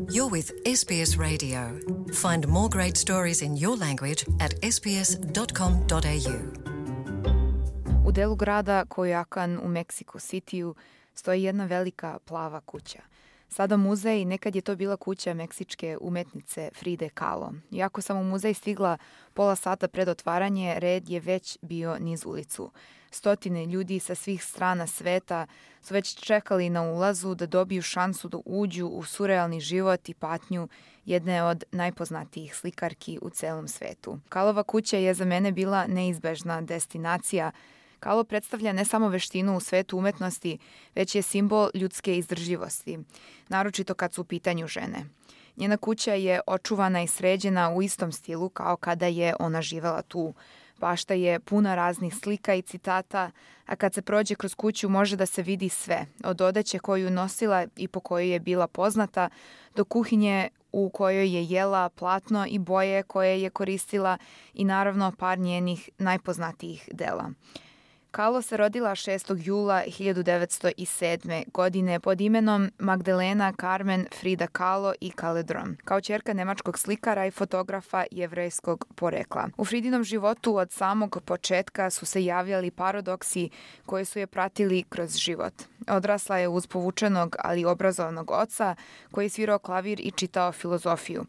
You're with SBS Radio. Find more great stories in your language at sbs.com.au. U delu grada Coyoacan u Mexico Cityu stoji jedna velika plava kuća. Sada muzej, nekad je to bila kuća meksičke umetnice Fride Kahlo. Iako sam u muzej stigla pola sata pred otvaranje, red je već bio niz ulicu. Stotine ljudi sa svih strana sveta su već čekali na ulazu da dobiju šansu da uđu u surrealni život i patnju jedne od najpoznatijih slikarki u celom svetu. Kahlova kuća je za mene bila neizbežna destinacija. Kahlo predstavlja ne samo veštinu u svetu umetnosti, već je simbol ljudske izdržljivosti, naročito kad su u pitanju žene. Njena kuća je očuvana i sređena u istom stilu kao kada je ona živela tu. Bašta je puna raznih slika i citata, a kad se prođe kroz kuću može da se vidi sve, od odeće koju nosila i po kojoj je bila poznata, do kuhinje u kojoj je jela, platno i boje koje je koristila i naravno par njenih najpoznatijih dela. Kahlo se rodila 6. jula 1907. godine pod imenom Magdalena Carmen Frida Kahlo i Caledron, kao ćerka nemačkog slikara i fotografa jevrejskog porekla. U Fridinom životu od samog početka su se javljali paradoksi koji su je pratili kroz život. Odrasla je uz povučenog, ali obrazovnog oca koji je svirao klavir i čitao filozofiju.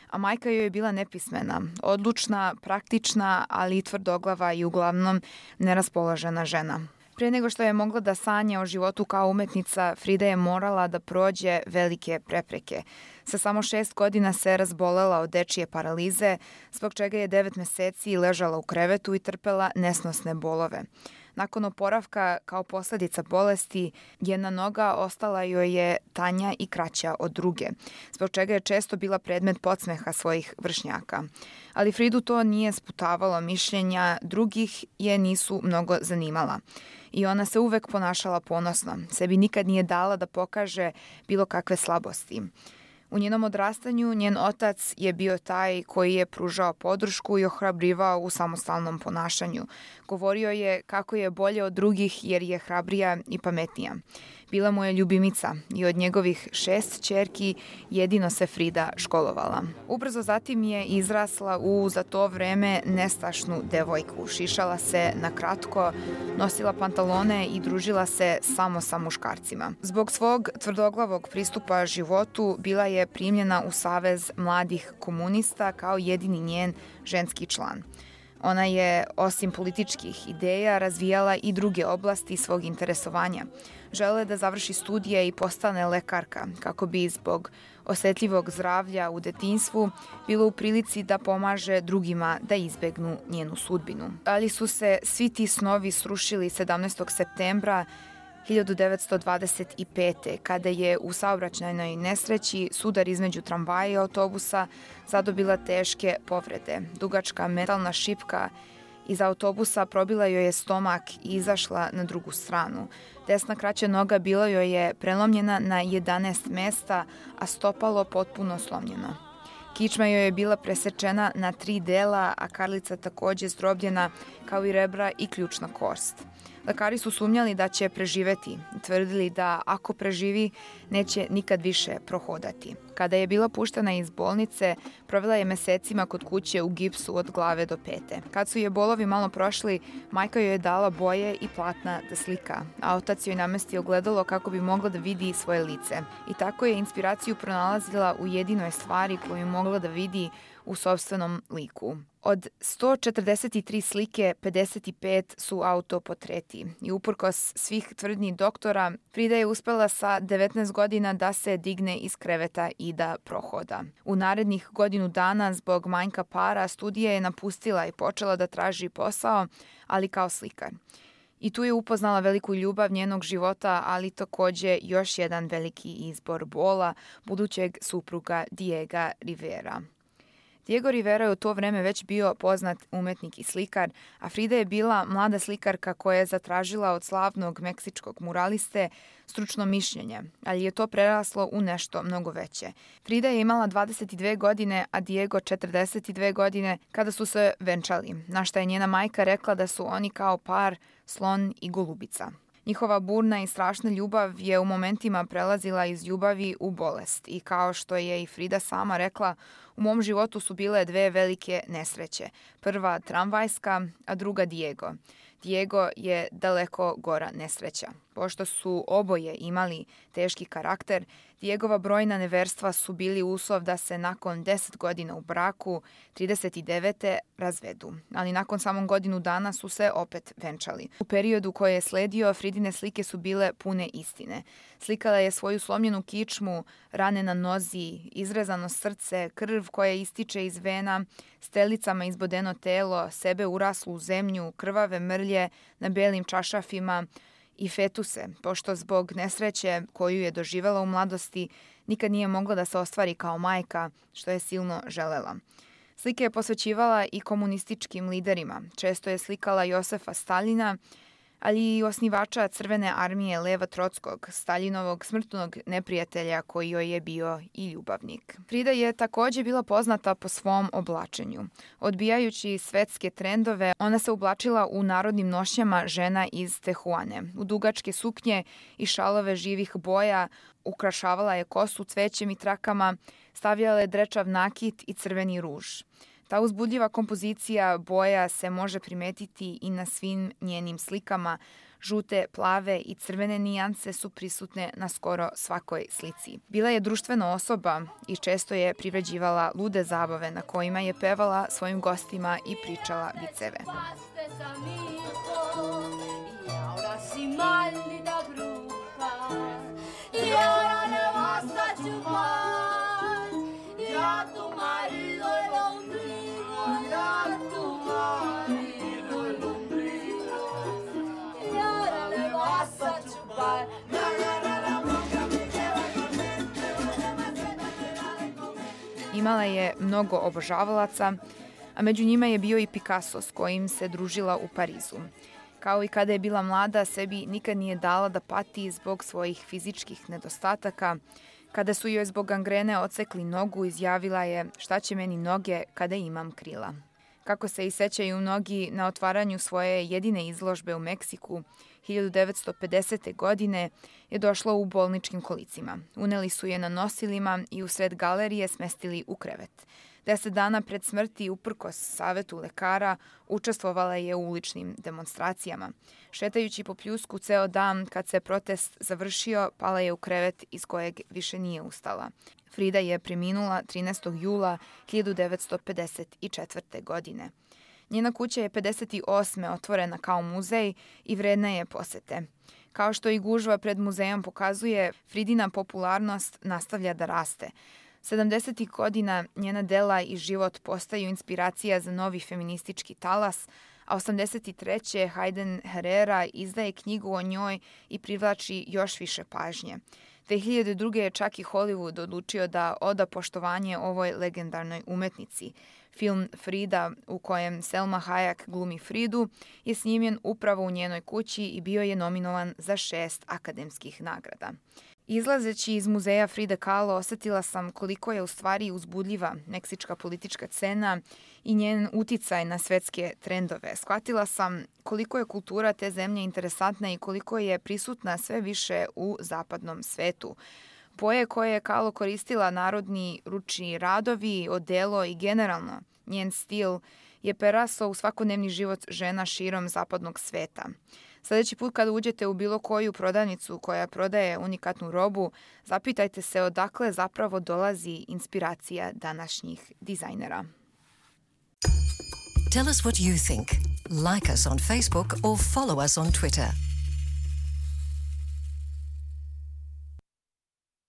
A majka joj je bila nepismena, odlučna, praktična, ali i tvrdoglava i uglavnom neraspoložena žena. Pre nego što je mogla da sanja o životu kao umetnica, Frida je morala da prođe velike prepreke. Sa samo 6 godina se razbolela od dečije paralize, zbog čega je 9 meseci ležala u krevetu i trpela nesnosne bolove. Nakon oporavka, kao posledica bolesti, jedna noga ostala joj je tanja i kraća od druge, zbog čega je često bila predmet podsmeha svojih vršnjaka. Ali Fridu to nije sputavalo, mišljenja drugih je nisu mnogo zanimala. I ona se uvek ponašala ponosno, sebi nikad nije dala da pokaže bilo kakve slabosti. U njenom odrastanju njen otac je bio taj koji je pružao podršku i ohrabrivao u samostalnom ponašanju. Govorio je kako je bolje od drugih jer je hrabrija i pametnija. Bila mu je ljubimica i od njegovih 6 ćerki jedino se Frida školovala. Ubrzo zatim je izrasla u za to vreme nestašnu devojku. Šišala se na kratko, nosila pantalone i družila se samo sa muškarcima. Zbog svog tvrdoglavog pristupa životu bila je primljena u Savez mladih komunista kao jedini njen ženski član. Ona je, osim političkih ideja, razvijala i druge oblasti svog interesovanja. Želela je da završi studije i postane lekarka, kako bi zbog osetljivog zdravlja u detinjstvu bilo u prilici da pomaže drugima da izbegnu njenu sudbinu. Ali su se svi ti snovi srušili 17. septembra 1925. kada je u saobraćajnoj nesreći sudar između tramvaja i autobusa zadobila teške povrede. Dugačka metalna šipka iz autobusa probila joj je stomak i izašla na drugu stranu. Desna kraća noga bila joj je prelomljena na 11 mesta, a stopalo potpuno slomljeno. Kičma joj je bila presečena na 3 dela, a karlica takođe zdrobljena, kao i rebra i ključna kost. Lekari su sumnjali da će preživeti i tvrdili da ako preživi, neće nikad više prohodati. Kada je bila puštena iz bolnice, provela je mesecima kod kuće u gipsu od glave do pete. Kad su je bolovi malo prošli, majka joj je dala boje i platna da slika, a otac joj namestio ogledalo kako bi mogla da vidi svoje lice. I tako je inspiraciju pronalazila u jedinoj stvari koju je mogla da vidi u sopstvenom liku. Od 143 slike, 55 su autoportreti i uprkos svih tvrdnji doktora, Frida je uspela sa 19 godina da se digne iz kreveta i da prohoda. U narednih godinu dana zbog manjka para studije je napustila i počela da traži posao, ali kao slikar. I tu je upoznala veliku ljubav njenog života, ali takođe još jedan veliki izbor bola, budućeg supruga Diega Rivera. Diego Rivera je u to vreme već bio poznat umetnik i slikar, a Frida je bila mlada slikarka koja je zatražila od slavnog meksičkog muraliste stručno mišljenje, ali je to preraslo u nešto mnogo veće. Frida je imala 22 godine, a Diego 42 godine kada su se venčali, na šta je njena majka rekla da su oni kao par slon i golubica. Njihova burna i strašna ljubav je u momentima prelazila iz ljubavi u bolest i kao što je i Frida sama rekla, u mom životu su bile dve velike nesreće. Prva tramvajska, a druga Diego. Diego je daleko gora nesreća. Pošto su oboje imali teški karakter, Diegova brojna neverstva su bili uslov da se nakon 10 godina u braku, 39. razvedu. Ali nakon samo godinu dana su se opet venčali. U periodu koji je sledio, Fridine slike su bile pune istine. Slikala je svoju slomljenu kičmu, rane na nozi, izrezano srce, krv koja ističe iz vena, strelicama izbodeno telo, sebe uraslu u zemlju, krvave mrlje na belim čašafima i fetuse, pošto zbog nesreće koju je doživela u mladosti nikad nije mogla da se ostvari kao majka, što je silno želela. Slike je posvećivala i komunističkim liderima. Često je slikala Josefa Staljina, ali i osnivača Crvene armije Leva Trotskog, Staljinovog smrtnog neprijatelja koji joj je bio i ljubavnik. Frida je također bila poznata po svom oblačenju. Odbijajući svetske trendove, ona se oblačila u narodnim nošnjama žena iz Tehuane. U dugačke suknje i šalove živih boja, ukrašavala je kosu cvećem i trakama, stavljala je drečav nakit i crveni ruž. Ta uzbudljiva kompozicija boja se može primetiti i na svim njenim slikama. Žute, plave i crvene nijanse su prisutne na skoro svakoj slici. Bila je društvena osoba i često je privređivala lude zabave na kojima je pevala svojim gostima i pričala viceve. Imala je mnogo obožavalaca, a među njima je bio i Picasso s kojim se družila u Parizu. Kao i kada je bila mlada, sebi nikad nije dala da pati zbog svojih fizičkih nedostataka. Kada su joj zbog gangrene odsekli nogu, izjavila je: "Šta će meni noge kada imam krila?" Kako se i sećaju mnogi, na otvaranju svoje jedine izložbe u Meksiku 1950. godine je došla u bolničkim kolicima. Uneli su je na nosilima i usred galerije smestili u krevet. 10 dana pred smrti, uprkos savetu lekara, učestvovala je u uličnim demonstracijama. Šetajući po Pljusku ceo dan, kad se protest završio, pala je u krevet iz kojeg više nije ustala. Frida je preminula 13. jula 1954. godine. Njena kuća je 58. otvorena kao muzej i vredna je posete. Kao što i gužva pred muzejom pokazuje, Fridina popularnost nastavlja da raste. 70. godina njena dela i život postaju inspiracija za novi feministički talas, a 83. Hayden Herrera izdaje knjigu o njoj i privlači još više pažnje. 2002. je čak i Hollywood odlučio da oda poštovanje ovoj legendarnoj umetnici. Film Frida, u kojem Selma Hayek glumi Fridu, je snimljen upravo u njenoj kući i bio je nominovan za 6 akademskih nagrada. Izlazeći iz muzeja Fride Kahlo, osetila sam koliko je u stvari uzbudljiva meksička politička scena i njen uticaj na svetske trendove. Shvatila sam koliko je kultura te zemlje interesantna i koliko je prisutna sve više u zapadnom svetu. Boje koje je Kahlo koristila, narodni ručni radovi, odelo i generalno njen stil je prerasao u svakodnevni život žena širom zapadnog sveta. Sljedeći put kada uđete u bilo koju prodavnicu koja prodaje unikatnu robu, zapitajte se odakle zapravo dolazi inspiracija današnjih dizajnera. Tell us what you think. Like us on Facebook or follow us on Twitter.